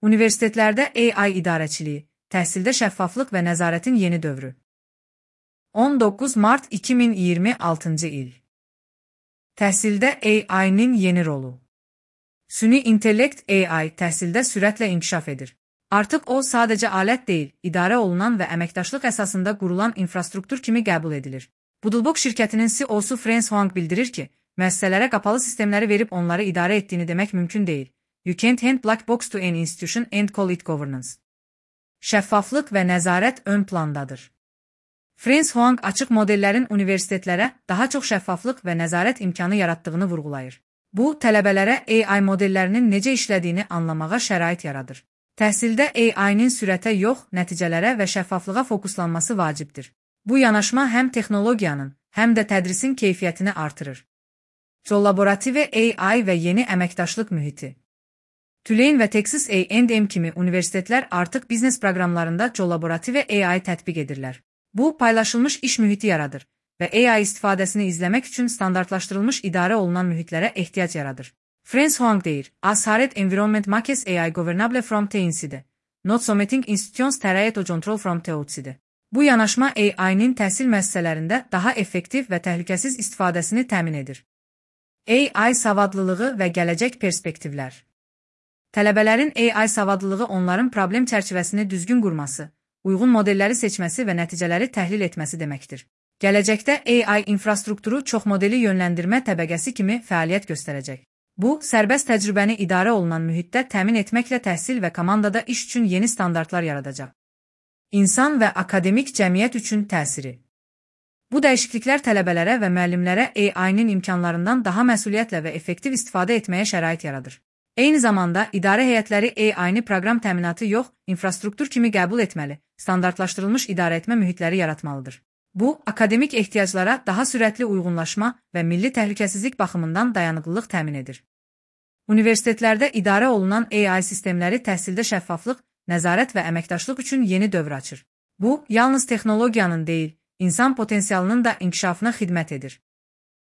Universitetlərdə AI idarəçiliyi, təhsildə şəffaflıq və nəzarətin yeni dövrü. 19 mart 2026-cı il. Təhsildə AI-nin yeni rolu. Süni intellekt AI təhsildə sürətlə inkişaf edir. Artıq o sadəcə alət deyil, idarə olunan və əməkdaşlıq əsasında qurulan infrastruktur kimi qəbul edilir. Doodlebug şirkətinin CEO-su Frans Hoang bildirir ki, müəssisələrə qapalı sistemləri verib onları idarə etdiyini demək mümkün deyil. You can't hand black box to an institution and call it governance. Şəffaflıq və nəzarət ön plandadır. Frans Hoang açıq modellərin universitetlərə daha çox şəffaflıq və nəzarət imkanı yaratdığını vurğulayır. Bu, tələbələrə AI modellərinin necə işlədiyini anlamağa şərait yaradır. Təhsildə AI-nin sürətə yox, nəticələrə və şəffaflığa fokuslanması vacibdir. Bu yanaşma həm texnologiyanın, həm də tədrisin keyfiyyətini artırır. Collaborative AI və yeni əməkdaşlıq mühiti. Tulane və Texas A&M kimi universitetlər artıq biznes proqramlarında collaborative AI tətbiq edirlər. Bu, paylaşılmış iş mühiti yaradır və AI istifadəsini izləmək üçün standartlaşdırılmış idarə olunan mühitlərə ehtiyac yaradır. Frans Hoang deyir, As Hared Environment Makes AI Governable from Teinside, Not Submitting Institutions Terayet o Control from Teotside. Bu yanaşma AI-nin təhsil müəssisələrində daha effektiv və təhlükəsiz istifadəsini təmin edir. AI savadlılığı və gələcək perspektivlər. Tələbələrin AI savadlılığı onların problem çərçivəsini düzgün qurması, uyğun modelləri seçməsi və nəticələri təhlil etməsi deməkdir. Gələcəkdə AI infrastrukturu çoxmodeli yönləndirmə təbəqəsi kimi fəaliyyət göstərəcək. Bu, sərbəst təcrübəni idarə olunan mühitdə təmin etməklə təhsil və komandada iş üçün yeni standartlar yaradacaq. İnsan və akademik cəmiyyət üçün təsiri. Bu dəyişikliklər tələbələrə və müəllimlərə AI-nin imkanlarından daha məsuliyyətlə və effektiv istifadə etməyə şərait yaradır. Eyni zamanda, idarə heyətləri AI-ni proqram təminatı yox, infrastruktur kimi qəbul etməli, standartlaşdırılmış idarəetmə mühitləri yaratmalıdır. Bu, akademik ehtiyaclara daha sürətli uyğunlaşma və milli təhlükəsizlik baxımından dayanıqlılıq təmin edir. Universitetlərdə idarə olunan AI sistemləri təhsildə şəffaflıq, nəzarət və əməkdaşlıq üçün yeni dövr açır. Bu, yalnız texnologiyanın deyil, insan potensialının da inkişafına xidmət edir.